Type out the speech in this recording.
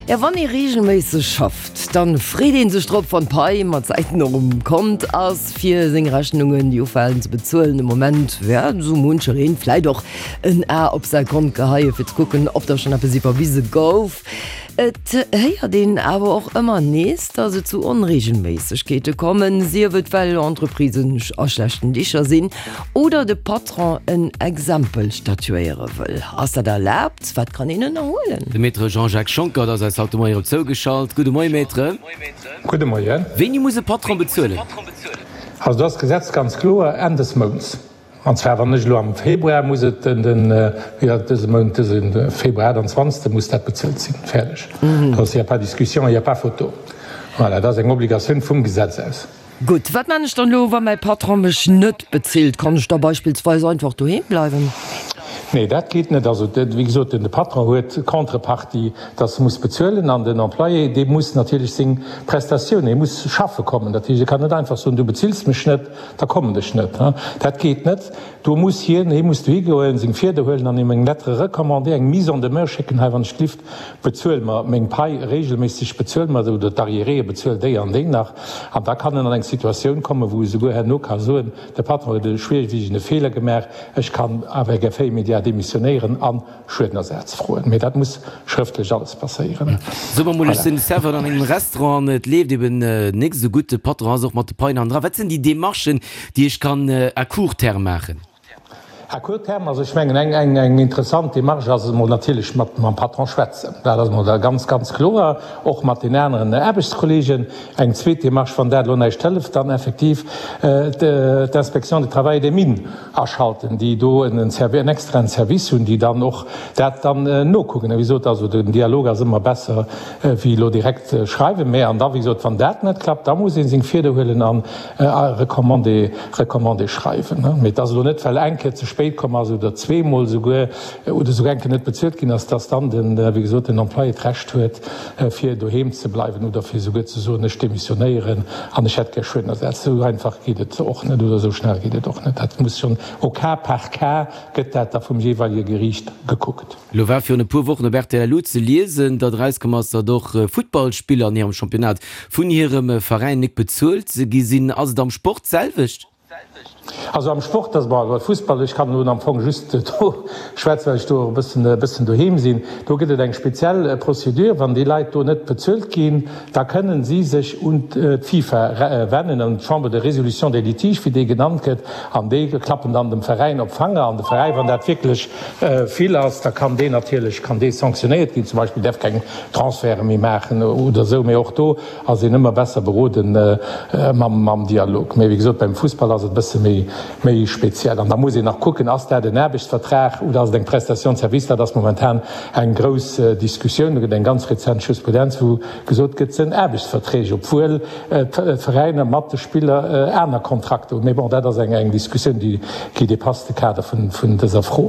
Ja wann ee reegelméisseg schafft, dann freet een sech drop wann d'Pai mat Zäiten och um Kont ass fir seng Rechnungen déi ufalen ze bezuelen. De Moment wäert esou munchereen vläit och en A op säi Kont geheie fir ze kucken ob da schonn eppes iwwerwise gouf. Et héiert een awer och ëmmer nees, datt et zu Onreegelméissegkeete kommen, sief et well Entreprisen a schlechten Dicher sinn oder de Patron en Exempel statuéiere wëll. Ass dat erlaabt? Wat kann een ënnerhuelen? De Maître Jean-Jacques Schonckert ass eis haut de Moien erop zougeschalt. Gudde Moien, Maître. Gudde Moien. Wéini muss e Patron bezuelen? Also do ass d'Gesetz ganz kloer, Enn des Mounts. An zwar, wann ech elo am Februar muss et den, den, wéi ass et dëse Mount, dëse Februar 28. Muss dat bezuelt sinn. Fäerdeg. Do ass, il y a pas discussion, il y a pas photo. Voilà, dat ass eng Obligatioun vum Gesetz aus. Gutt, wat man ech dann elo, wa mäi Patron mech net bezilt? Kann ech da beispillsweis einfach doheem bleiwen? Nee, dat geet net. Also, wéi gesot, de Patron huet d'Contrepartie, dass e muss bezuelen, an den Employé, dee muss natierlech seng Prestatiounen, hie muss schaffe kommen. Dat heescht, e kann net einfach soen, du bezills mech net, Da kommen ech net. Dat geet net. Do muss hien, hie muss dohi goen, seng Fieder huelen an him eng Lettre recommandée, eng Mise en demeure schécken, Hei, wann ech glift, bezuel mer meng Pai regelméisseg, bezuel mer oder d'Arriéréë, bezuel déi an déi nach. An da kann en an eng Situatioun kommen, wou e souguer herno ka soen, De Patron huet e schwierwiegende Feeler gemaach, ech kann avec effet immédiat démissionéieren an Schuedenersaz froen, mee dat muss schrëftlech alles passéieren. Soe mer mol, ech sinn Serveur an engem Restaurant an et leeft eben nik esou gutt, de Patron ass och mat de Paien hannendran. Wat sinn déi Demarchen, déi ech kann à court terme maachen? À court terme, also ech mengen eng eng eng interessant Demarche ass emol natierlech mat mam Patron schwätzen. Dat ass emol da ganz ganz kloer, och mat den aneren Aarbechtskollegen. Eng zweet Demarche, wann dat elo näischt hëlleft, dann effektiv d'Inspection du Travail et des Mines aschalten, déi do en extraen Service hunn, déi dann och dat dann nokucken. A wéi gesot, also den Dialog ass ëmmer besser wéi elo direkt schreiwen. Mä an da wéi gesot, wann dat net klappt, da muss ee seng Fieder huelen an e Recommandé, Recommandé schreiwen. Mee et ass elo net, well eng Kéier ze spéit komm ass oder zweemol esouguer oder esouguer eng Kéier net bezuelt ginn ass, dass dann den, wéi gesot, den Employé d'Recht huet, fir doheem ze bleiwen oder fir esouguer ze soen, ech demissionéieren an ech hätt gär Schuedenersatz. Esou einfach geet et och net oder esou schnell geet et och net. Dat muss schonn au cas par cas gëtt dat da vum jeeweilege Geriicht gekuckt. Elo war virun e puer Wochen op rtl Lu ze liesen, datt erauskomm ass, datt och Futtballspiller an hirem Championnat vun hirem Veräin nik bezuelt gi sinn. Ass et am Sport d'selwecht? Also am Sport ass, bon, Fussball, ech kann elo am Fong just do schwätzen, well ech do och e bëssen, e bëssen doheem sinn. Do gëtt et eng speziell Procédure. Wann déi Leit do net bezuelt ginn, da kënnen si sech un d'FIFA wennen, un d'Chambre de résolution des litiges, wéi déi genannt gëtt, an déi klappen dann dem Veräin op d'Fanger. An de Veräi, wann dat wierklech vill ass, da kann deen natierlech, kann dee sanktionéiert ginn, zum Beispill däerf keng Transferte méi maachen oder esou. Mee och do Ass een ëmmer besser beroden mam Dialog. Mee wéi gesot, beim Fussball ass et e bësse méi speziell. An da muss een nach kucken, ass dat en Aarbechtsvertrag oder ass et eng Prestation de service? Dat ass momentan eng grouss Diskussioun. Do gëtt eng ganz rezent Jurisprudenz, wou gesot gëtt, et sënn Aarbechtsverträg, obwuel d'Veräiner mat de Spiller aner Kontrakter hunn. Mee bon, dat ass eng Diskussioun, déi dépasse de Kader vun dëser Fro.